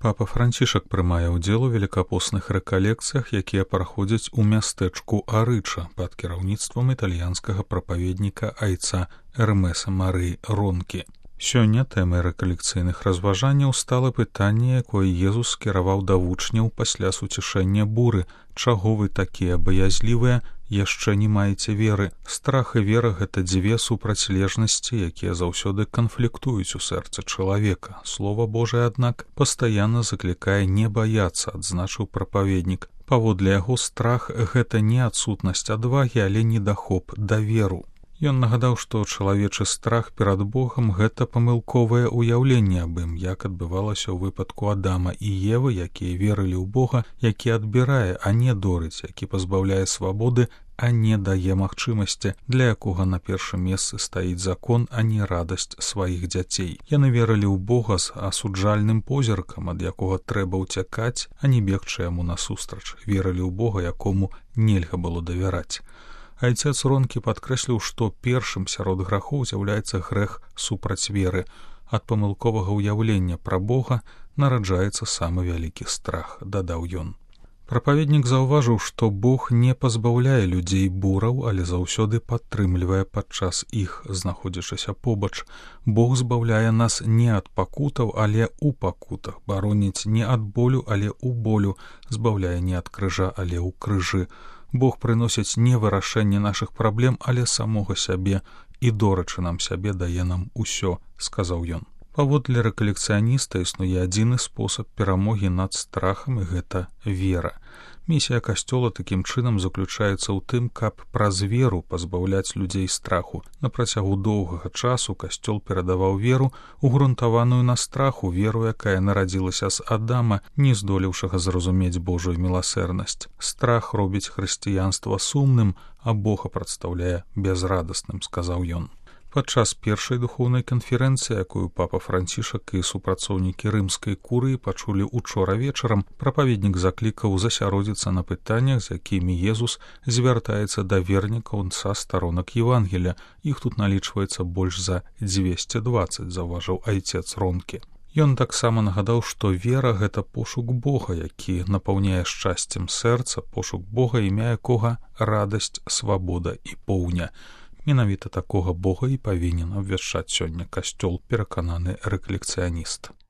Папа Францішак прымае ўдзел у велікапостных рэкалекцыях, якія праходзяць у мястэчку Арыча пад кіраўніцтвам італьянскага прапаведніка айца Эрмеса Марыі Ронкі. Сёння тэмай рэкалекцыйных разважанняў стала пытанне, якое Езус скіраваў да вучняў пасля суцішэння буры: «Чаго вы такія баязлівыя, яшчэ не маеце веры?» Страх і вера — гэта дзве супрацьлежнасці, якія заўсёды канфліктуюць у сэрцы чалавека. Слова Божае, аднак, пастаянна заклікае не баяцца, адзначыў прапаведнік. Паводле яго, страх — гэта не адсутнасць адвагі, але недахоп даверу. Ён нагадаў, што чалавечы страх перад Богам — гэта памылковае ўяўленне аб ім, як адбывалася ў выпадку Адама і Евы, якія верылі ў Бога, які адбірае, а не дорыць, які пазбаўляе свабоды, а не дае магчымасці, для якога на першым месцы стаіць закон, а не радасць сваіх дзяцей. Яны верылі ў Бога з асуджальным позіркам, ад якога трэба ўцякаць, а не бегчы яму насустрач. Верылі ў Бога, якому нельга было давяраць. Айцец Ронкі падкрэсліў, што першым сярод грахоў з'яўляецца грэх супраць веры. Ад памылковага ўяўлення пра Бога нараджаецца самы вялікі страх, дадаў ён. Прапаведнік заўважыў, што Бог не пазбаўляе людзей бураў, але заўсёды падтрымлівае падчас іх, знаходзячыся побач. Бог збаўляе нас не ад пакутаў, але ў пакутах, бароніць не ад болю, але ў болю, збаўляе не ад крыжа, але ў крыжы. Бог прыносіць не вырашэнне нашых праблем, але самога сябе, і дорачы нам сябе дае нам усё, сказаў ён. Паводле рэкалекцыяніста існуе адзіны спосаб перамогі над страхам, і гэта вера. Місія касцёла такім чынам заключаецца ў тым, каб праз веру пазбаўляць людзей страху. На працягу доўгага часу касцёл перадаваў веру, угрунтаваную на страху, веру, якая нарадзілася з Адама, не здолеўшага зразумець Божую міласэрнасць. Страх робіць хрысціянства сумным, а Бога прадстаўляе бязрадасным, сказаў ён. Падчас першай духоўнай канферэнцыі, якую папа Францішак і супрацоўнікі рымскай курыі пачулі учора вечарам, прапаведнік заклікаў засяродзіцца на пытаннях, з якімі Езус звяртаецца да вернікаў са старонак Евангелія. Іх тут налічваецца больш за 220, заўважыў айцец Ронкі. Ён таксама нагадаў, што вера — гэта пошук Бога, які напаўняе шчасцем сэрца, пошук Бога, імя якога радасць, свабода і поўня. Менавіта такога Бога і павінен абвяшчаць сёння касцёл, перакананы рэкалекцыяніст.